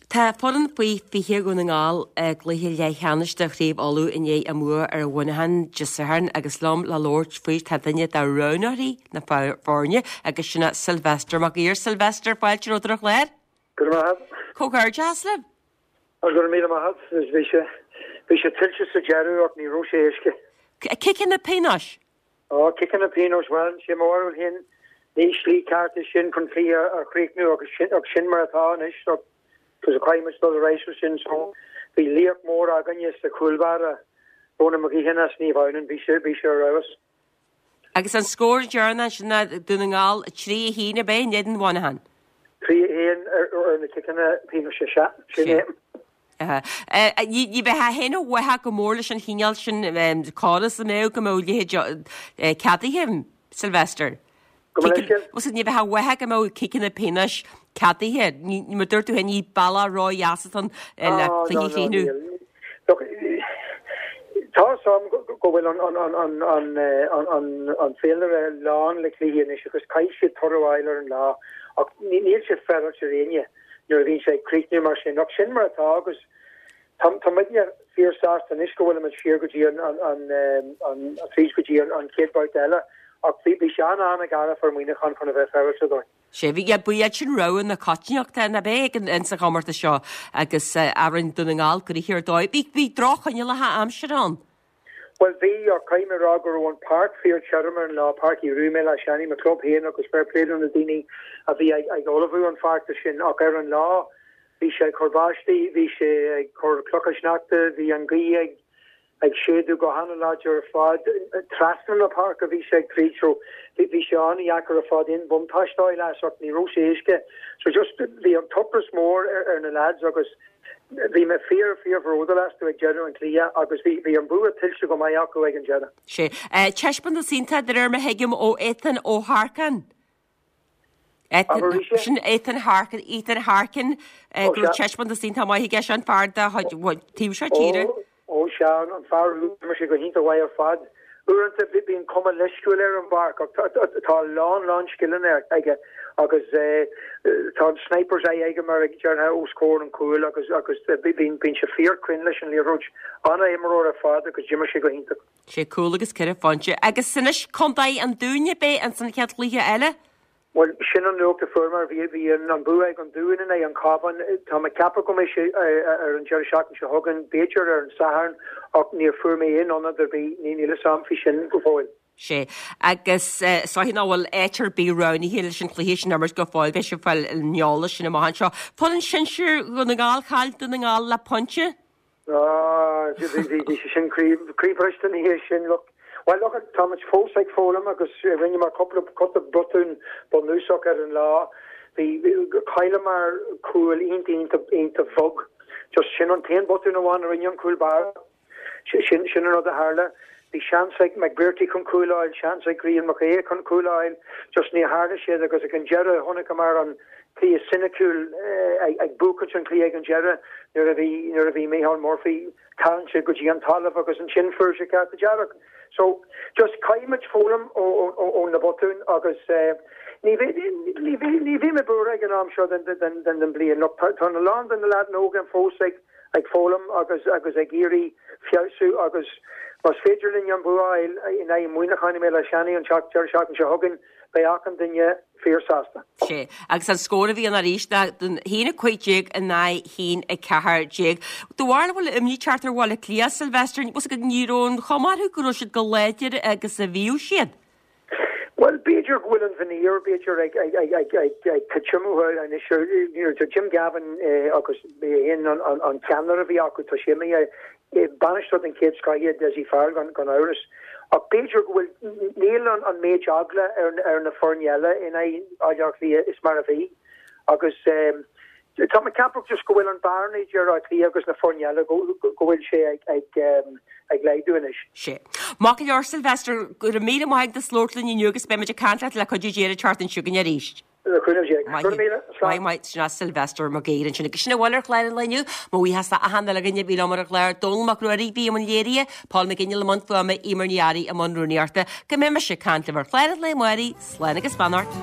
Tá foireann faoi 20 Dhún na nGall i gcluiche leathcheannais de Chraobh Uladh i ndiaidh a mbua ar Mhuineachán Dé Sathairn agus liom le labhairt faoi tá duine de roghnóirí na foirne agus sin é Sylvester Mac Uidhir. Sylvester, fáilte romhat ar an chlár. Go raibh maith agat. Comhghairdeas libh. Go raibh míle maith agat. Bhí sé, bhí sé tuillte sa deireadh ach ní raibh sé éasca. Ciceanna pionóis. Á, ciceanna pionóis, bhuel, sé mo bharúil féin, ní slí ceart é sin chun cluiche a chríochnú agus sin, ach sin mar atá anois so, cos caithfidh muid dul ar aghaidh leis sin so, bhí laoch mór againne sa chúl báire, Ronan McGeehan as Naomh Adhamhnáin, bhí sé, bhí sé ar fheabhas. Agus an scór deireanach ansin ná Dún na nGall 3, 1 ab é, in éadan Mhuineacháin? 3, 1 ar na ciceanna pionóis, sea, sin é. Ní bheifeá féin i bhfách go mór leis an chineál sin córas an mbeadh go mbeadh leithéid ceadaithe, Sylvester? Gabh mo leithscéal? Ní bheifeá i bhfách go mbeadh ciceanna pionóis ceadaithe. Mar dúirt tú féin, ní bealach ródheas atá ann le cluiche a chríochnú. Look, tá a fhios agam go bhfuil an féilire lán le cluichí anois agus caithfidh siad toradh a fháil ar an lá ach níl sé féaráilte ar éinne. nuair a bhíonn sé ag críochnú mar sin. Ach sin mar atá agus tá tá muidne fíor sásta anois go bhfuilimid siar go dtí an an an tríd go dtí an an chéad babhta eile ach bhí bhí sé an-an-gharbh ar Mhuineachán chun a bheith féaráilte dóibh. Sea, bhí, ba iad sin rogha na coitiantachta, nach ea, ag an sa chomórtas seo agus rinne Dún na nGall gnoitheach ar dóigh. Bhí bhí droch-choinníollacha aimsire ann. Bhuel bhí, ach caithfidh mé a rá go raibh an páirc fíor tirim ar an lá, Páirc Uí Rúaidh i mBéal Átha Seanaidh, mo chlub féin agus fair play do na daoine a bhí ag ullmhú an feachtas sin ach ar an lá bhí sé ag cur báistí, bhí sé ag cur clocha sneachta, bhí an ghaoth ag ag séideadh go han-láidir ar fad, trasna na páirce bhí sé ag tríd so bhí sé an-dheacair ar fad aon bhuntáiste a fháil as ach ní raibh sé éasca so just bhí an t-ocras mór ar na lads agus Bhí mé fíor, fíor bhródúil astu ag deireadh an chluiche agus bhí, bhí an bua tuillte go maith acu ag an deireadh. Sea. Taispeántas iontach, de réir mar thuigim, ó Ethan Ó hEarcáin. Abair arís é? Sin Ethan Harkin, Ethan Harkin, go raibh taispeántas iontach maith aige, sin fear de chuid, taobh seo tíre. Ó, Ó sea, an fear úd, d'imir sé go hiontach mhaith ar fad. Uaireanta bíonn cuma leisciúil air ar an bpáirc ach tá a lán, lán scileanna aige agus tá an sniper's eye aige mar a déarfá os comhair an chúil agus agus bíonn sé fíorchruinn leis an liathróid. An-imreoir ar fad agus d'imir sé go hiontach. Sé cúl agus 4 phointe. Agus anois Contae an Dúin ab é ins an chéad chluiche eile? Bhuel, sin an nuacht a fuair mé. Bhí, bhí an bua ag an Dún in aghaidh an Chabháin. Tá mé ag ceapadh go mbeidh sé ar an deireadh seachtaine seo chugainn, b'fhéidir ar an Satharn, ach níor fuair mé aon ionad ar bith, níl fhios a'm faoi sin go fóill. Sea, agus is dóiche nach bhfuil áit ar bith roghnaithe leis an chluiche sin a imirt go fóill, beidh sibh ag fáil an eolais sin amach anseo. Foireann sinsir Dhún na nGall, chaill Dún na nGall le pointe. Ah, bhí sé sin croíbhriste ina dhiaidh sin. Look, bhuel, look, tá muid fós ag foghlaim agus rinneamar cúpla cúpla botún bunúsach ar an lá. Bhí, chailleamar cúl iontach iontach iontach bhog. Just sin an t-aon botún amháin a rinne an cúl báire. Sin, sin an rud a tharla. Bhí seans ag McBrearty chun cúl a fháil, seans ag Rian Mac Aodha chun cúl a fháil, just ní tharla siad agus ag an deireadh chonaiceamar an cluiche soiniciúil ag buachaint an chluiche ag an deireadh nuair a bhí nuair a bhí Micheál Murphy tarraingthe go dtí an talamh agus ansin fuair sé cárta dearg. So just caithfidh muid foghlaim ó na botúin agus ní ní ní bhí mé buartha ag an am seo den den den bliain. Look tá a lán de na leaideanna óga fós ag ag foghlaim agus agus ag iarraidh feabhsú agus más féidir linn an bua a fháil in aghaidh Muineacháin i mBéal Átha Seanaidh an deireadh seachtaine seo chugainn, beidh achan duine fíor-sásta. Sea, agus an scór a bhí ann arís ná 1-15 in aghaidh 1-14. Do bharúil an bhfuil imní ag teacht ar Bhaile Átha Cliath, Sylvester, bhfuil a fhios agat ní raibh an chuma orthu go raibh siad chomh láidir agus a bhíodh siad. Bhuel, b'fhéidir go bhfuil an veneer, b'fhéidir, ag titim uathu anois. Tá Jim Gavin agus é féin an ceannaire a bhí acu, tá sé imithe. Bainisteoir den chéad scoth é Dessie Farrell gan amhras. Ach b'fhéidir go bhfuil, níl an méid eagla ar na foirne eile in aghaidh Bhaile Átha Cliath is mar a bhí. Agus Tá mé ag ceapadh just go bhfuil an bearna idir Áth Cliath agus na foirne eile, go bhfuil sé ag laghdú anois. Sea. Maith go leor, Sylvester, go raibh míle maith agat as labhairt linn inniu agus beidh muid ag caint leat le cuidiú Dé an tseachtain seo chugainn arís. Le cúnamh Dé. Go raibh míle. Slán. Maith, maith. Sin é Sylvester Mag Uidhir ansin. Agus sin a bhfuil ar chlár an lae inniu. Mo bhuíochas le achan uile dhuine a bhí liom ar an chlár. Dónal Mac Ruairí a bhí i mbun léirithe, Paul McGinley i mbun fuaime, Eimear Ní Fhearraigh i mbun rúnaíochta. Go mbeidh mise ag caint libh ar chlár an lae amárach. Slán agus beannacht.